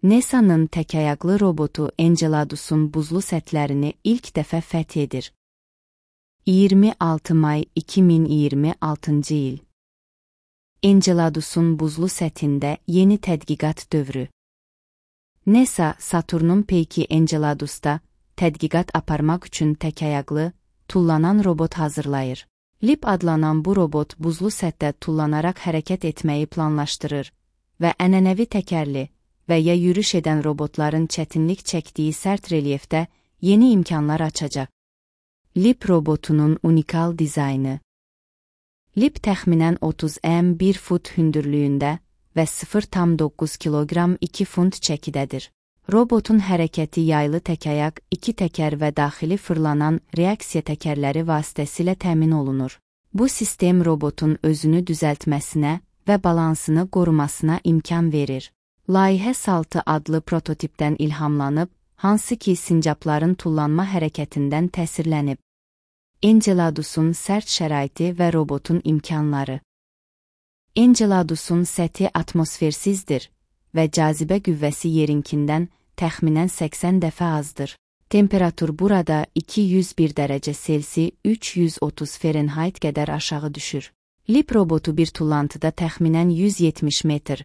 NASA'nın təkayaqlı robotu Enceladus'un buzlu sətlərini ilk dəfə fəth edir. 26 may 2026 il. Enceladus'un buzlu sətində yeni tədqiqat dövrü. NASA, Saturnun peyki Enceladus'da tədqiqat aparmaq üçün təkayaqlı, tullanan robot hazırlayır. LEAP adlanan bu robot buzlu sətdə tullanaraq hərəkət etməyi planlaşdırır və ənənəvi təkərli və ya yürüş edən robotların çətinlik çəkdiyi sərt relyefdə yeni imkanlar açacaq. LEAP robotunun unikal dizaynı. LEAP təxminən 30 m 1 fut hündürlüyündə və 0,9 kiloqram 2 funt çəkidədir. Robotun hərəkəti yaylı təkayaq, iki təkər və daxili fırlanan reaksiya təkərləri vasitəsilə təmin olunur. Bu sistem robotun özünü düzəltməsinə və balansını qorumasına imkan verir. Layihə Saltı adlı prototipdən ilhamlanıb, hansı ki sincapların tullanma hərəkətindən təsirlənib. Enceladus'un sərt şəraiti və robotun imkanları. Enceladus'un səthi atmosfersizdir və cazibə qüvvəsi yerinkindən təxminən 80 dəfə azdır. Temperatur burada 201 dərəcə Selsi 330 Fahrenheit qədər aşağı düşür. LEAP robotu bir tullantıda təxminən 170 metr,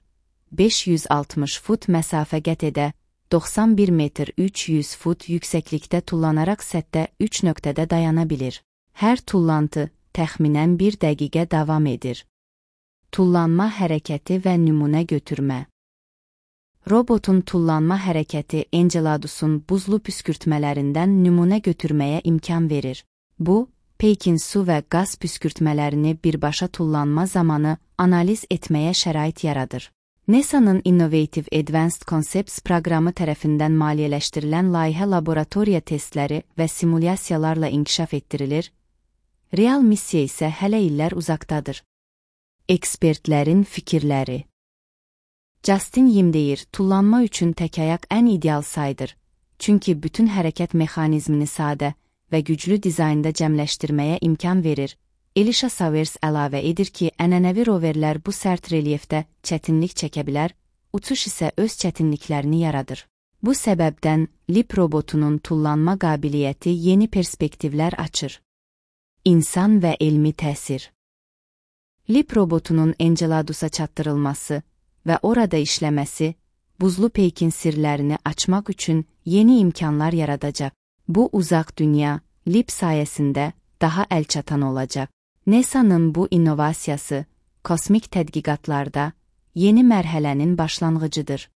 560 fut məsafə qət edə, 91 metr 300 fut yüksəklikdə tullanaraq sətdə 3 nöqtədə dayana bilir. Hər tullantı təxminən 1 dəqiqə davam edir. Tullanma hərəkəti və nümunə götürmə. Robotun tullanma hərəkəti Enceladus'un buzlu püskürtmələrindən nümunə götürməyə imkan verir. Bu, peykin su və qaz püskürtmələrini birbaşa tullanma zamanı analiz etməyə şərait yaradır. NASA'nın Innovative Advanced Concepts proqramı tərəfindən maliyyələşdirilən layihə laboratoriya testləri və simulyasiyalarla inkişaf etdirilir, real missiya isə hələ illər uzaqdadır. Ekspertlərin fikirləri. Justin Yim deyir, tullanma üçün təkayaq ən ideal saydır, çünki bütün hərəkət mexanizmini sadə və güclü dizaynda cəmləşdirməyə imkan verir. Elisha Savers əlavə edir ki, ənənəvi roverlər bu sərt relyefdə çətinlik çəkə bilər, uçuş isə öz çətinliklərini yaradır. Bu səbəbdən LEAP robotunun tullanma qabiliyyəti yeni perspektivlər açır. İnsan və elmi təsir. LEAP robotunun Enceladus'a çatdırılması və orada işləməsi, buzlu peykin sirlərini açmaq üçün yeni imkanlar yaradacaq. Bu uzaq dünya, LEAP sayəsində daha əlçatan olacaq. NASA'nın bu innovasiyası, kosmik tədqiqatlarda yeni mərhələnin başlanğıcıdır.